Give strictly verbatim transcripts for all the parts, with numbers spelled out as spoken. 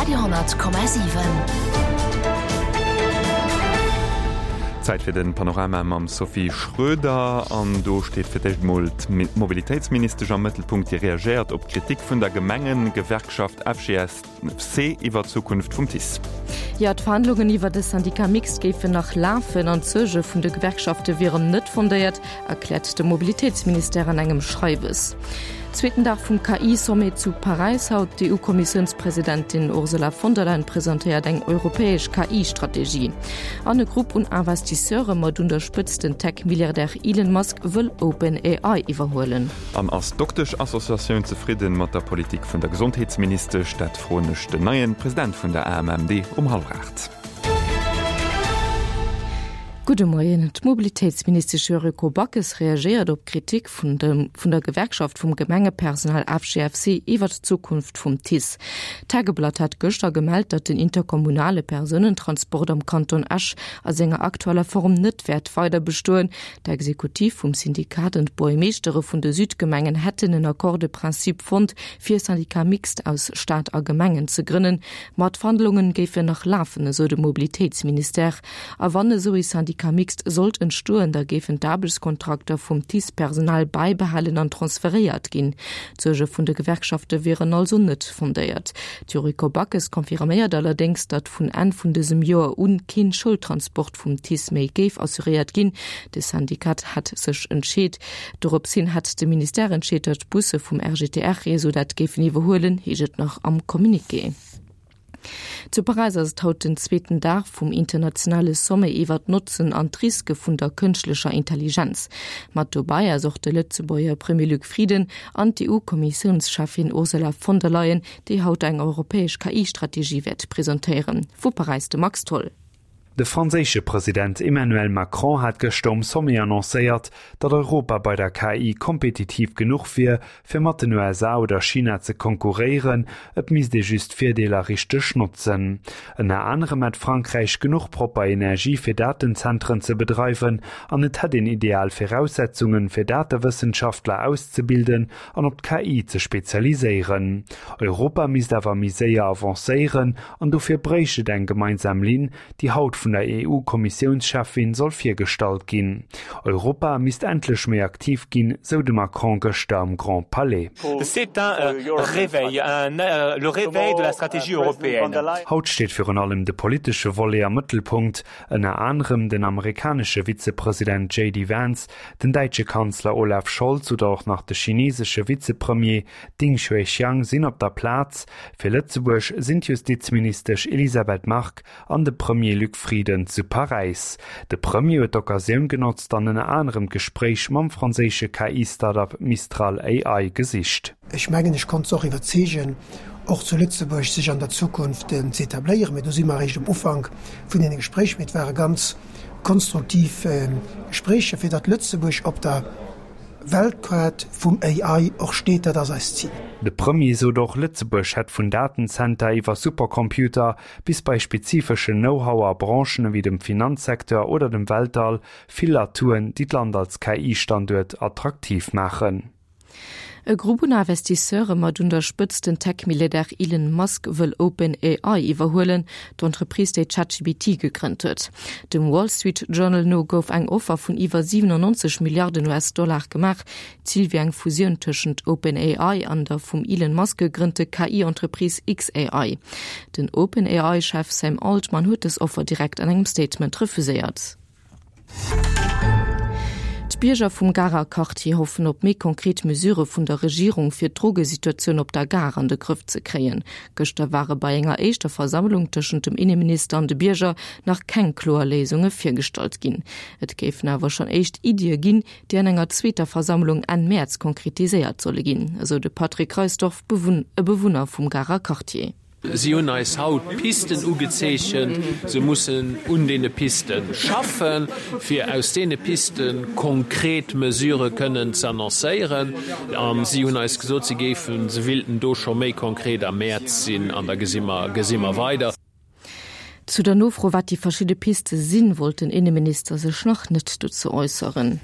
Radio honnert Komma siwen. Zäit fir den Panorama mam Sophie Schröder. An do steet fir d'éischt mol d'Mobilitéitsministesch am Mëttelpunkt, déi reagéiert op d'Kritik vun der Gemengegewerkschaft F G S C iwwer d'Zukunft vum T I C E. Jo, d'Verhandlungen iwwer de Syndicat mixte géifen nach lafen an d'Suerge vun de Gewerkschafte wieren net fondéiert, erkläert de Mobilitéitsministère an engem Schreiwes. Zweeten Dag vum K I-Sommet zu Paräis haut, D'E U-Kommissiounspresidentin Ursula von der Leyen presentéiert eng europäesch K I-Strategie. An e Grupp un Investisseure mat un der Spëtzt den Tech-Milliardär Elon Musk wëll OpenAI iwwerhuelen. An ass d'Doktesch-Associatioun zefridden mat der Politik vun der Gesondheetsministesch? Dat froen ech den neien President vun der A M M D um hallwer aacht. Gudde Moien. D'Mobilitéitsministesch Yuriko Backes reagéiert op Kritik vun dem vun der Gewerkschaft vum Gemengepersonal F G F C iwwer d'Zukunft vum T I C E. D'Tageblatt hat gëschter gemellt, datt den interkommunale Persounentransport am Kanton Esch a senger aktueller Form net wäert weider bestoen. D'Exekutiv vum Syndikat an d'Buergermeeschtere vun de Südgemengen hätten en Accord de principe fonnt, fir e Syndicat mixte aus Staat a Gemengen ze grënnen. Ma d'Verhandlungen géifen nach lafen, esou de Mobilitéitsministère. A wann esou e Syndicat mixte sollt entstoen, da géifen d'Aarbechtskontrakter vum T I C E-Personal bäibehalen an transferéiert ginn. D'Suerge vun de Gewerkschafte wieren also net fondéiert. D'Yuriko Backes confirméiert allerdéngs, datt vun Enn vun dësem Joer un keen Schoultransport vum T I C E méi géif assuréiert ginn. De Syndikat hätt sech entscheet. Dorops hin hätt de Ministère entscheet, datt d'Busse vum R G T R-Réseau dat géifen iwwerhuelen, heescht et nach am Communiqué. Zu Paräis ass et haut den zweeten Dag vum internationale Sommet iwwer d'Notzen an d'Riske vun der kënschtlecher Intelligenz. Mat dobäi ass och de Lëtzebuerger Premier Luc Frieden an d'E U-Kommissiounscheffin Ursula von der Leyen, déi haut eng europäesch K I-Strategie wäert presentéieren. Vu Paräis de Max Tholl. De franséische President Emmanuel Macron hat gëschter um Sommet annoncéiert, datt Europa bei der K I kompetitiv genuch wier, fir mat den U S A oder China ze konkurréieren, et misst ee just d'Virdeeler richteg notzen. Ënner anerem hätt Frankräich genuch propper Energie fir Datenzentren ze bedreiwen an et hätt een ideal Viraussetzungen fir Datewëssenschaftler auszebilden an op d'K I ze spezialiséieren. Europa misst awer méi séier avancéieren an dofir bréicht et eng gemeinsam Linn, déi haut vun der E U-Kommissiounscheffin soll virgestallt ginn. Europa misst endlech méi aktiv ginn, sou de Macron gëschter am Grand Palais. C'est un euh, réveil, un, euh, le réveil de la stratégie européenne. Haut steet virun allem de politesche Volet am Mëttelpunkt, ënner anerem den amerikanesche Vizepresident J D Vance, den däitsche Kanzler Olaf Scholz oder och nach de chinesesche Vizepremier Ding Xuexiang sinn op der Plaz. Fir Lëtzebuerg sinn d'Justizministesch Elisabeth Margue an de Premier Luc Frieden zu Paräis. De Premier huet d'Occasioun genotzt an ënner anerem d'Gespréich mam franséische K I-Startup Mistral A I gesicht. Ech mengen, ech konnt se och iwwerzeegen, och zu Lëtzebuerg sech an der Zukunft ze etabléieren. Mee do si mer eréischt um Ufank vun deene Gespréicher. Mee et ware ganz konstruktiv Gespréicher, fir datt Lëtzebuerg op der Weltkaart vum A I och steet, dat ass eist Zil. De Premier sot och, Lëtzebuerg hätt vun Datenzenter iwwer Supercomputer bis bei spezifeschen Know-how a Branchen ewéi dem Finanzsecteur oder dem Weltall vill Atouen, déi d'Land als K I-Standuert attraktiv maachen. E Grupp un Investisseure mat un der Spëtzt den Tech-Milliardär Elon Musk wëll OpenAI iwwerhuelen, d'Entreprise, déi ChatGPT gegrënnt huet. Dem Wall Street Journal no gouf eng Offer vun iwwer siwenannonzeg Milliarden U S-Dollar gemaach. Zil wier eng Fusioun tëschent OpenAI an der vum Elon Musk gegrënnte K I-Entreprise X A I. Den OpenAI-Chef Sam Altman huet dës Offer direkt an engem Statement refuséiert. D'Bierger vum Garer Quartier hoffen op méi konkret Mesure vun der Regierung fir d'Drogesituatioun op der Gare an de Grëff ze kréien. Gëschter ware bei enger éischter Versammlung tëschent dem Inneminister an de Bierger nach keng kloer Léisunge virgestallt ginn. Et géifen awer schonn éischt Iddie ginn, déi an enger zweeter Versammlung Enn Mäerz konkretiséiert solle ginn, esou de Patrick Reisdorf, Bewunn e Bewunner vum Garer Quartier. Si hunn eis haut Pisten ugezeechent. Se mussen un deene Piste schaffen, fir aus deene Piste konkret Mesurë kënnen ze annoncéieren. A si hunn eis gesot, si géifen, se wéilten do scho méi konkret am Mäerz sinn an da gesi mer, gesi mer weider. Zu der Nofro, wat déi verschidde Piste sinn, wollt den Inneminister sech nach net dozou äusseren.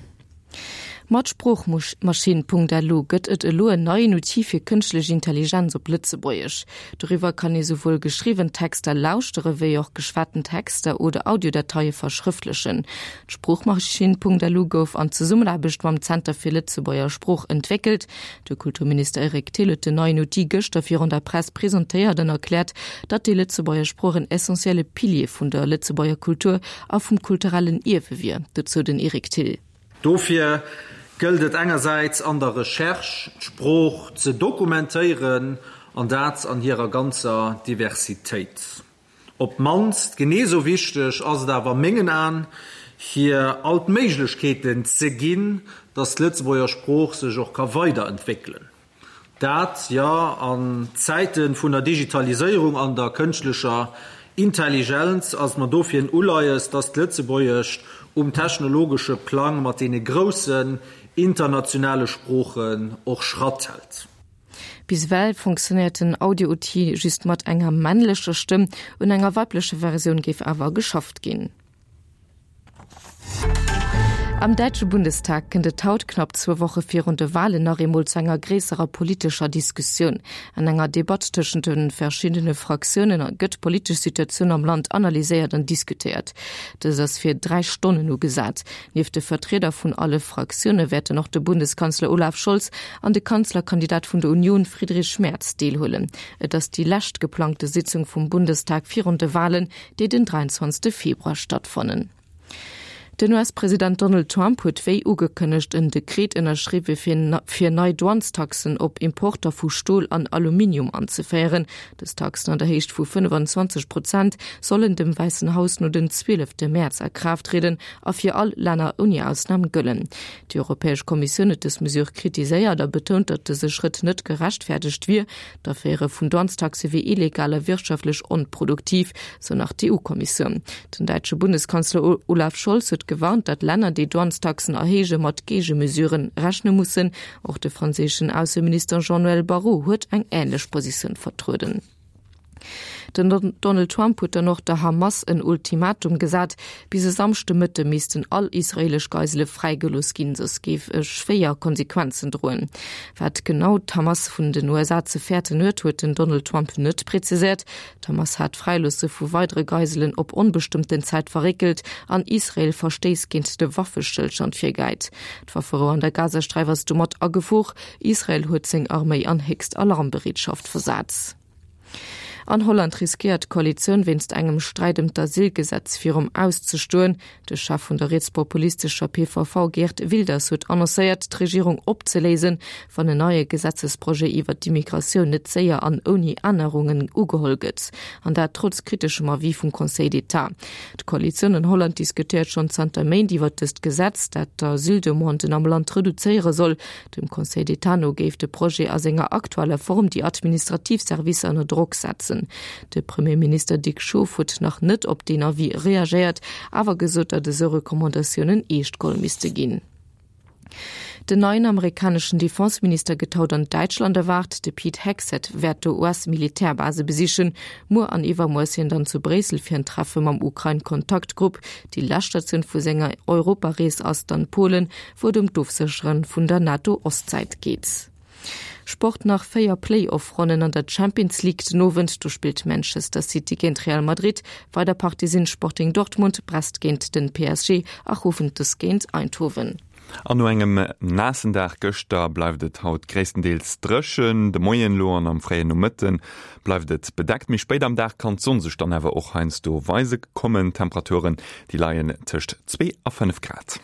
Mat Sproochmaschinn.lu gëtt et elo en neien Outil fir kënschtlech Intelligenz op Lëtzebuergesch. Doriwwer kann ee souwuel geschriwwen Texter lauschtere wéi och geschwaten Texter oder Audiodateie verschrëftlechen. D'Sproochmaschinn.lu gouf an Zesummenaarbecht mam Zenter fir Lëtzebuerger Sprooch entwéckelt. De Kulturminister Eric Thill huet den neien Outil gëschter virun der Press presentéiert an erkläert, datt déi Lëtzebuerger Sprooch en essentielle Pilier vun der Lëtzebuerger Kultur a vum kulturellen Ierwe wier. Dozou den Eric Thill. Dofir gëllt et engersäits an der Recherche, d'Sprooch ze dokumentéieren, an dat an hirer ganzer Diversitéit. Op d'mannst genee sou wichteg ass et awer a mengen Aen, hir all d'Méiglechkeeten ze ginn, datt d'Lëtzebuerger Sprooch sech och ka weiderentwéckelen. Dat, jo, an Zäite vun der Digitaliséierung an der kënschtlecher Intelligenz ass et mer dofir en Uleies, dass d'Lëtzebuergescht um technologesche Plang mat deene groussen internationale Sproochen och Schratt hält. Bis ewell funktionéiert den Audio-Outil just mat enger männlecher Stëmm, un enger weiblecher Versioun géif awer geschafft ginn. Am däitsche Bundestag kënnt et haut, knapp zwou Woche virun de Walen, nach eemol zu enger gréisserer politescher Diskussioun. An enger Debatt tëschent de verschiddene Fraktioune gëtt d'politesch Situatioun am Land analyséiert an diskutéiert. Dës ass fir dräi Stonnen ugesat. Nieft de Vertrieder vun alle Fraktioune wäerten och de Bundeskanzler Olaf Scholz an de Kanzlerkandidat vun der Union Friedrich Merz deelhuelen. Et ass déi lescht geplangte Sitzung vum Bundestag virun de Walen, déi den dräianzwanzegste Februar stattfannen. Den U S-President Donald Trump huet wéi ugekënnegt en Dekret ënnerschriwwe fir nei Douanestaxen op Importer vu Stol an Aluminium anzeféieren. Dës Taxen an der Héicht vu fënnefenzwanzeg Prozent sollen dem Wäissen Haus no den zwielefte Mäerz a Kraaft trieden a fir all Länner ouni Ausnam gëllen. Déi Europäesch Kommissioun huet dës Mesure kritiséiert a betount, datt dëse Schrëtt net gerechtfäerdegt wier. D'Aféiere vun Douanestaxe wier illegal a wirtschaftlech onproduktiv, sou nach d'E U-Kommissioun. Den däitsche Bundeskanzler Olaf Scholz huet gewarnt, datt Länner, déi Douanestaxen erhéije mat Géigemesuren rechne mussen. Och de franséischen Ausseminister Jean-Noël Barrot huet eng änlech Positioun vertrueden. Den Donald Trump huet dann och der Hamas en Ultimatum gesat, Bis e Samschdemëtte missten all israeelesch Geisele fräigelooss ginn, soss géif e schwéier Konsequenzen droen. Wat genau d'Hamas vun den U S A ze fäerten huet, huet den Donald Trump net präziséiert. D'Hamas hat d'Fräiloosse vu weidere Geiselen op onbestëmmten Zäit verréckelt an Israel Verstéiss géint de Waffestëllstand virgehäit. D'Wafferou an der Gazasträif ass domat a Gefor. Israel huet seng Arméi an héchst Alarmbereetschaft versat. An Holland riskéiert d'Koalitioun wéinst engem Sträit ëm d'Asylgesetz virum Aus ze stoen. De Chef vun der rietspopulistescher P V V Geert Wilders huet annoncéiert, d'Regierung opzeléisen, wann en neie Gesetzesprojet iwwer d'Immigratioun net séier an ouni Ännerungen ugeholl gëtt. An dat trotz kriteschem Avis vum Conseil d'État. D'Koalitioun an Holland diskutéiert schonn zanter Méint iwwer dëst Gesetz, dat d'Asyldemanden am Land reduzéiere soll. Dem Conseil d'État no géif de Projet a senger aktueller Form déi administrativ Servicer ënner Drock setzen. De Premierminister Dick Schoof huet nach net op deen Avis reagéiert, awer gesot, datt esou Recommandatiounen eescht geholl misste ginn. Den neien amerikaneschen Defenseminister gëtt haut an Däitschland erwaart. De Pete Hegseth wäert do U S-Militärbase besichen. Muer an iwwermuer ass hien dann zu Bréissel fir en Treffe mam Ukrain-Kontaktgrupp. Déi lescht Statioun vu senger Europarees ass dann Polen, wou et ëm d'Ofséchere vun der NATO-Ostsäit geet. Sport Nach véier Play-off-Ronnen an der Champions League den Owend, do spillt Manchester City géint Real Madrid. Weider Partie sinn Sporting Dortmund, Brest géint den P S G a Juventus géint Eindhoven. An no engem naassen Dag gëschter bleift et haut gréisstendeels dréchen. De Moien elo an am fréien Nomëtte bleift et bedeckt. Méi spéit am Dag kann d'Sonn sech dann awer och heiansdo weise kommen. D'Temperaturen déi leien tëscht zwee a fënnef Grad.